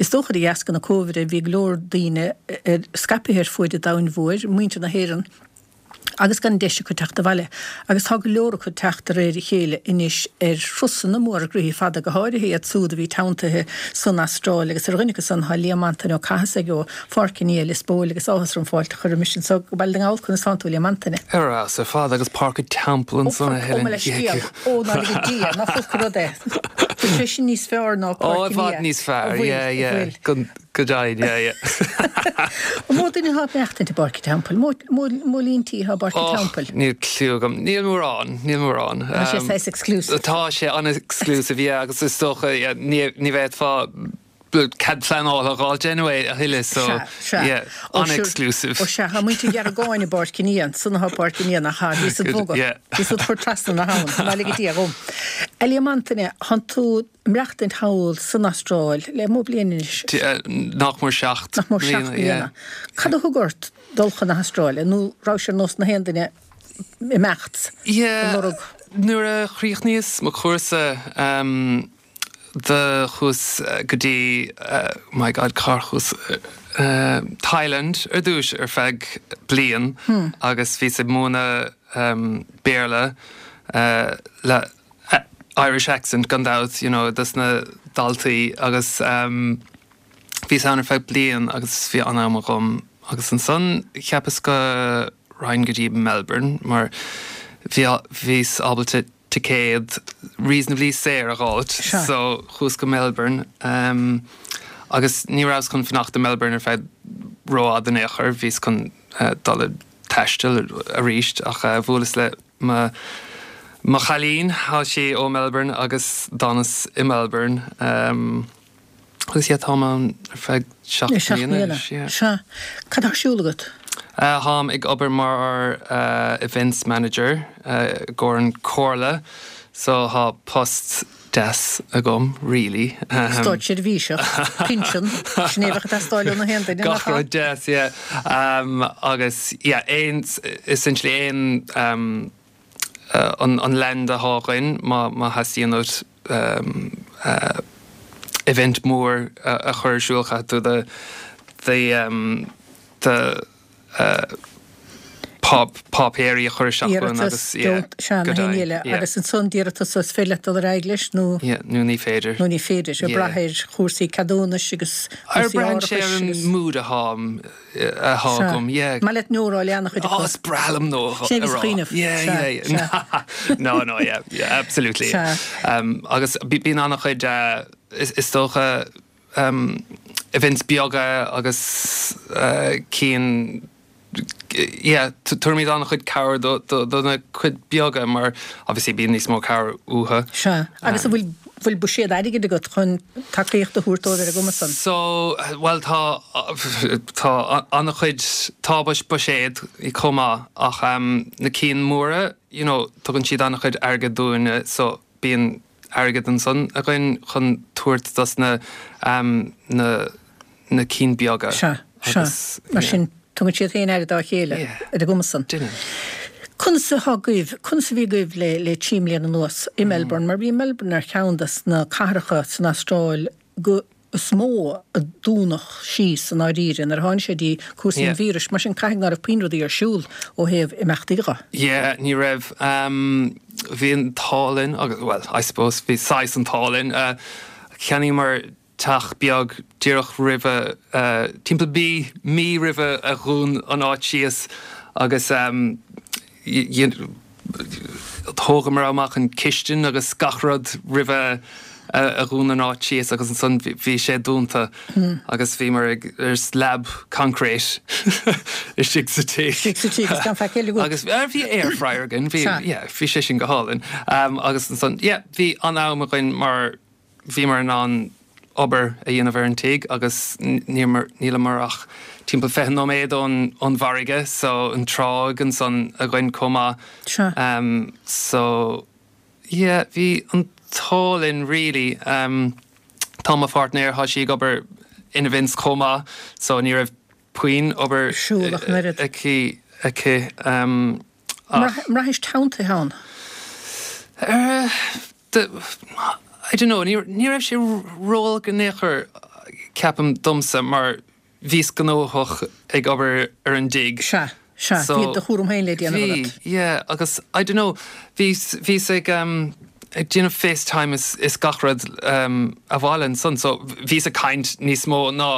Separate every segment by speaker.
Speaker 1: Is dócha de dheasca na Cóivide bhí go leor daoine scaipthe ar fuaid an domhain mhóir, muintir na hÉireann, agus gan deis acu teacht abhaile. Agus tá go leor acu ag teacht de réir a chéile anois ar thurasanna móra gnoithí fada, go háirithe iad súd a bhí teanntaithe san Astráil agus ar dhuine acu san tá Liam Antaine Ó Cathasaigh ó Pháirc an Fhia, Lios Póil agus áthas orm fáilte a chur roimis anso go Baile na nGall. Conas tánn tú, Liam Antaine?
Speaker 2: Ar fheabhas ar fad agus Páirc an Teampaill ansan a
Speaker 1: Helen. Ó, mo leithscéal. Ó, ná lige Dia, nach olc an rud é. Bhfuil sé sin níos fearr ná
Speaker 2: Páirc an Fhia? Ó, i bhfad níos fearr, yeah, yeah. Go deimhin, yeah, yeah.
Speaker 1: An mó duine atá ag maireachtaint i bPáirc an Teampaill? Mó líon tí atá i bPáirc an Teampaill?
Speaker 2: Níl cliú agam. Níl mórán, níl mórán.
Speaker 1: Tá sé saghas exclusive.
Speaker 2: Tá sé an-exclusive, yeah, agus is dócha, yeah, ní bhféadfá cead pleanála a dh'fháilt anyway a thuilleadh, so, yeah, an-exclusive.
Speaker 1: Ó sea, tá muintir Ghearagáin i bPáirc an Fhia, ansan atá Páirc an Fhia, nach ea? Bhí siad bogha, bhí siad chur trasna na habhann, ná lige Dia dhom. A Liam Antaine, thánn tú maireachtaint thall san Astráil le mó bliain anois?
Speaker 2: Nach mór 7
Speaker 1: Nach mór 7 mbliana. Cad a thug ort dul chun na hAstráile, nó raibh sé ar nós na haon duine imeacht,
Speaker 2: ag lorg? Yeah, nuair a chríochnaíos mo chúrsa, do chuas go dtí, my God, cár chuas, Thailand ar dtúis ar feadh bliain agus bhíos ag múineadh Béarla le Irish accent gan dabht, you know, dos na daltaí agus bhíos ann ar feadh bliain agus bhí an-am agam agus ansan cheapas go raghainn go dtí Melbourne mar bhí, bhíos ábalta ticéad reasonably saor a dh'fháilt so chuas go Melbourne agus ní rabhas chun fanacht i Melbourne ar feadh rófhada in aon chor, bhíos chun dul ag taisteal arís ach bhuaileas le mo mo chailín, thá sí ó Melbourne agus d'fhanas i Melbourne. Agus yeah, táim ann ar feadh 7 mbliana anois,
Speaker 1: yeah. Sea. Cad tá ar siúl agat?
Speaker 2: Táim ag obair mar events manager i gcomhair an comhairle, so thá post deas agam, really.
Speaker 1: Státseirbhíseach, pinsean, sin é a bheadh ag teastáil ó na haon duine,
Speaker 2: nach ea? Gach rud deas, yeah. Agus yeah, aon, essentially aon, an land athá againn má theastaíonn uait event mór a chur ar siúl caithfidh tú do do páipéirí a chur isteach
Speaker 1: chugainn agus yeah go deimhin yeah. Agus ansan d'iarratas is féidir leat dul ar aghaidh leis
Speaker 2: nó nó ní féidir.
Speaker 1: Nó ní féidir, ag brath ar chúrsaí ceadúnais agus
Speaker 2: cúrsaí árachais agus. Braitheann sé ar an mood athá athá agam, yeah.
Speaker 1: Maith leat no a rá le an-chuid
Speaker 2: acu. Oh, is breá liom no a rá.
Speaker 1: Sin é a bhíos ag cuimhneamh.
Speaker 2: Yeah, yeah, yeah. No, no, yeah, yeah, absolutely.
Speaker 1: Sea.
Speaker 2: Agus bíonn an-chuid, is dócha, events beaga agus cinn, yeah, tabhraimid an-chuid cabhair do na cuid beaga mar obviously bíonn níos mó cabhair uathu.
Speaker 1: Sea. Agus an bhfuil bhfuil buiséad airgid agat chun tacaíocht a thabhairt dóibh ar an gcuma san?
Speaker 2: So, bhuel tá, tá an-chuid, tá buiséad chomh maith ach na cinn móra, you know, tugann siad an-chuid airgid dúinne so bíonn airgead ansan againn chun tabhairt dos na, na, na cinn beaga.
Speaker 1: Sea, sea. Mar sin, tugann siad féin aire dá chéile ar an gcuma san.
Speaker 2: Deineann.
Speaker 1: Conas atá agaibh, conas a bhí agaibh le, le 3 mbliana anuas i Melbourne, mar bhí Melbourne ar cheann des na cathracha san Astráil go, is mó a dúnadh síos i ndáiríre nuair a tháinig sé dtí cúrsaí an víris, mar sin caithfidh ná raibh puinn rudaí ar siúl ó thaobh imeachtaí
Speaker 2: dho. Yeah, ní raibh. Bhí an t-ádh linn agus, well, I suppose, bhí saghas an t-ádh linn. Cheannaíomar teach beag díreach roimhe, timpeall mí, mí roimhe a dhún an áit síos agus thógamar amach an chistin agus gach rud roimhe a dhún an áit síos agus ansan bhí sé dúnta agus bhíomar ag ar slab concrete istigh sa tigh.
Speaker 1: Istigh sa tigh agus gan faic eile agat.
Speaker 2: Agus bhí air fryer againn, bhí, yeah, bhí sé sin go hálainn. Agus ansan, yeah, bhí an-am againn mar Bhíomar in ann obair a dhéanamh ar an tigh agus níleamar ach timpeall 20 nóiméad ón bhfarraige so an tráigh ansan againn chomh maith.
Speaker 1: Sea.
Speaker 2: So yeah bhí an t-ádh linn really. Tá mo pháirtnéir, thá sí ag obair in events chomh maith so ní raibh puinn obair
Speaker 1: Siúl ach an oiread.
Speaker 2: aici aici
Speaker 1: ach. Mbraithis teanntaithe ann?
Speaker 2: I don't know, ní raibh sé ró-olc in aon chor. ceapaim domsa mar bhíos gnóthach ag obair ar an dtigh.
Speaker 1: Sea, sea, bhí do chúram féin le déanamh
Speaker 2: agat. Bhí, yeah, agus I don't know, bhíos, bhíos ag ehm ag déanamh FaceTime is, is gach rud ehm abhaile ansan so bhíos ag caint níos mó ná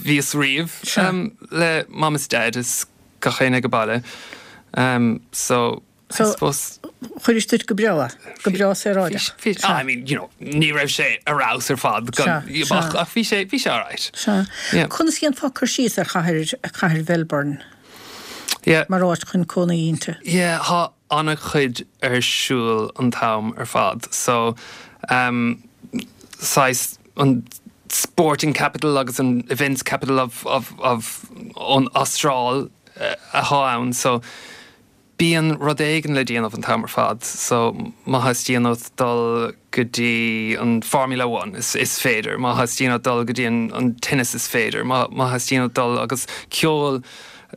Speaker 2: bhíos riamh ehm le Mam is Dad is gach éinne ag an baile ehm so
Speaker 1: So, chuiris duit go breá é, go breá saoráideach.
Speaker 2: Bhí, bhí, I mean, you know, ní raibh sé ar fheabhas ar fad, ach, ach bhí sé, bhí sé alright.
Speaker 1: Sea. Yeah. Conas a dhéanfá cur síos ar chathair, cathair Mhelbourne?
Speaker 2: Yeah.
Speaker 1: Mar áit chun cónaí inti?
Speaker 2: Yeah, thá an-chuid ar siúl an t-am ar fad. So, um, saghas an sporting capital agus an events capital of, of, of an Astráil athá ann. So, Bíonn rud éigin le déanamh an t-am ar fad so má theastaíonn uait dul go dtí an Formula One is féidir, má theastaíonn uait dul go dtí an tennis is féidir, má theastaíonn uait dul agus ceol,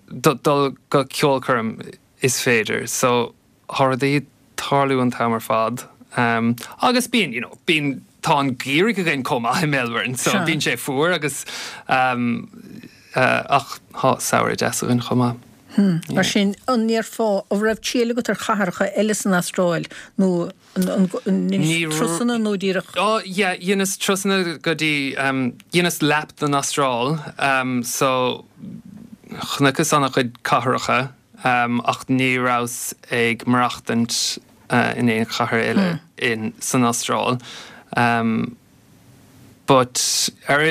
Speaker 2: dul go ceolchoirm is féidir. So tá rudaí ag tarlú an t-am ar fad agus bíonn, you know, bíonn, tá an geimhreadh againn chomh maith i Melbourne so bíonn sé fuar agus ach tá samhradh deas againn chomh maith.
Speaker 1: Mar sin, an ndéarfá, an raibh triail agat ar chathracha eile san Astráil nó an ndeinis turasanna nó díreach?
Speaker 2: Ó yeah, dheineas turasanna go dtí, dheineas lap den Astráil so chonaiceas an-chuid cathracha ach ní rabhas ag maireachtaint in aon chathair eile in san Astráil. But, ar,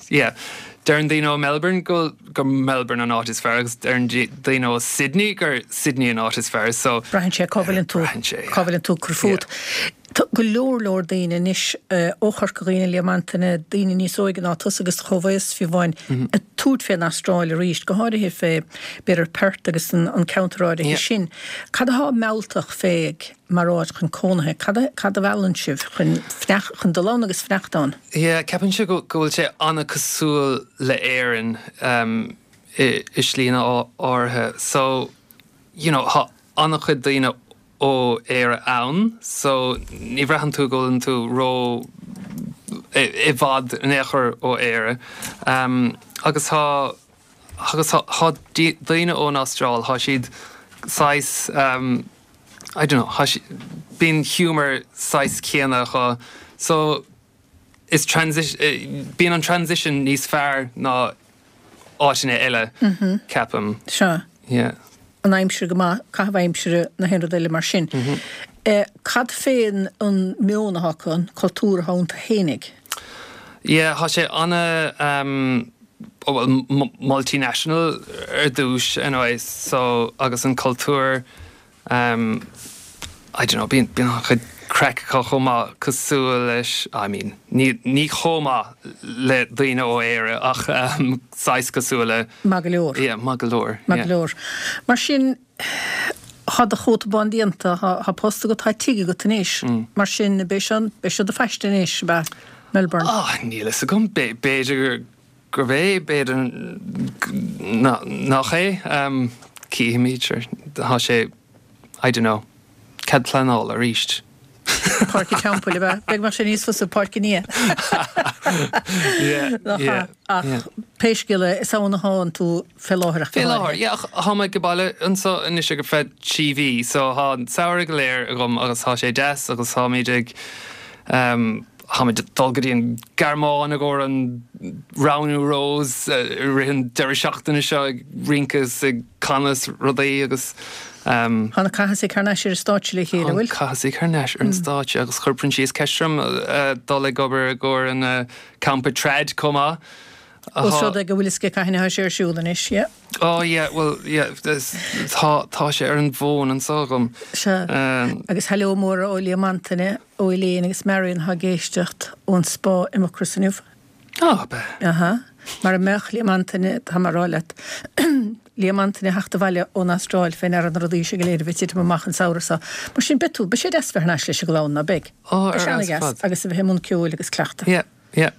Speaker 2: yeah, deireann daoine ó Melbourne go gur Melbourne an áit is fearr agus deireann daoine ó Sydney gur Sydney an áit is fearr, so.
Speaker 1: Braitheann sé cá bhfuileann tú,
Speaker 2: Braitheann sé, yeah.
Speaker 1: cá bhfuileann tú ag cur fút.
Speaker 2: Yeah.
Speaker 1: Tá go leor leor daoine anois ó Chorca Dhuibhne, Liam Antaine, daoine níos óige ná tusa agus do chomhaos fiú amháin, ag tabhairt fén Astráil arís, go háirithe fé, b'fhéidir Perth agus an ceantar áirithe
Speaker 2: Yeah.
Speaker 1: sin. Cad atá mealltach fé mar áit chun cónaithe? Cad a, cad a mheallann sibh chun fanacht, chun dul ann agus fanacht ann?
Speaker 2: Yeah, ceapaimse go, go bhfuil sé an-cosúil le Éirinn i, i slíanna áirithe. So, you know, tá an-chuid daoine ó Éire ann, so ní bhraitheann tú go bhfuileann tú ró, i, i bhfad in aon chor ó Éire. Agus tá, agus tá, tá daoine ón Astráil, tá siad saghas, I don't know, tá si-, bíonn humour saghas céanna acu so is transi-, bíonn an transition níos fearr ná áiteanna eile, ceapaim.
Speaker 1: Sea.
Speaker 2: Yeah.
Speaker 1: An aimsir go maith, caitheamh aimsire, na haon rud eile mar sin. Cad fén an meon atá acu, an cultúr atá iontu fhéinig?
Speaker 2: Yeah, tá sé ana, bhuel, multinational ar dtús anyway, so agus an cultúr, I don't know, bíonn bíonn an-chuid craic acu chomh maith cosúil leis, I mean, ní ní chomh maith le daoine ó Éire ach saghas cosúil le.
Speaker 1: Maith go leor.
Speaker 2: Yeah, maith go leor,
Speaker 1: yeah. Maith go leor. Mar sin, tá do chóta bán déanta, tá post agat, tá tigh agat anois, mar sin beidh seo, beidh seo do phaiste anois, ab ea, Melbourne?
Speaker 2: Ah, níl fhios agam, b'fhéidir gurb é, b'fhéidir nach é, cífimid, sure, tá sé, I don't know, cead pleanála arís.
Speaker 1: Páirc an Teampaill, ab ea? B'fhéidir go mbeadh sé níos fusa Páirc an Fhia.
Speaker 2: Yeah, yeah.
Speaker 1: Ach pé scéal é, is ann atánn tú fé láthair
Speaker 2: ach go háirithe. Fé láthair, yeah, ach thá mé ag baile anso anois ar feadh 3 mhí, so thá an samhradh go léir agam agus thá sé deas agus tháimid ag, tháimid ag dul go dtí an Ghearmáin i gcomhair an roghnú Rose i rith an deireadh seachtaine seo ag rince is ag canadh is rudaí agus.
Speaker 1: Tá na Cathasaigh thar n-ais ar an stáitse le chéile,
Speaker 2: an bhfuil? Tá na Cathasaigh thar n-ais ar an stáitse agus chuir Proinsias ceist orm dul ag obair i gcomhair an campa trad chomh maith.
Speaker 1: Ós rud é go bhfuil fhios aige cathain atá sé ar siúl anois, yeah.
Speaker 2: Oh yeah, well yeah, tá, tá sé ar an bhfón anso agam.
Speaker 1: Sea. Agus hello mór ó Liam Antaine, ó Elaine agus Marion atá ag éisteacht ón Spá i Mucros inniu.
Speaker 2: Á, ab ea?
Speaker 1: Aha. Mara mbeadh Liam Antaine, tá mé a rá leat, Liam Antaine a theacht abhaile ón Astráil fé ndeara na rudaí seo go léir a bheith ag titim amach an samhradh seo. Mar sin, beidh tú, beidh sé deas bheith thar n-ais leis an gclann, ná beidh?
Speaker 2: Ó,
Speaker 1: ar
Speaker 2: Beidh sé
Speaker 1: fheabhas ar
Speaker 2: an-dheas
Speaker 1: fad. Agus a bheith i mbun ceoil agus cleachtadh.
Speaker 2: Yeah, yeah.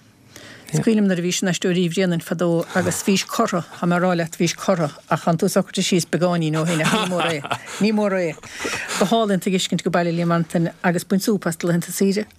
Speaker 1: Is cuimhin liom nuair a bhís in Aisteoirí Uí Bhréanainn fadó agus bhís cortha, tá mé a rá leat, bhís cortha, ach tánn tú socraithe síos beagáinín ó shin ach ní mór é, ní mór é. Go hálainn tú a fheiscint ag baile Liam Antaine agus bain súp as do laethanta saoire.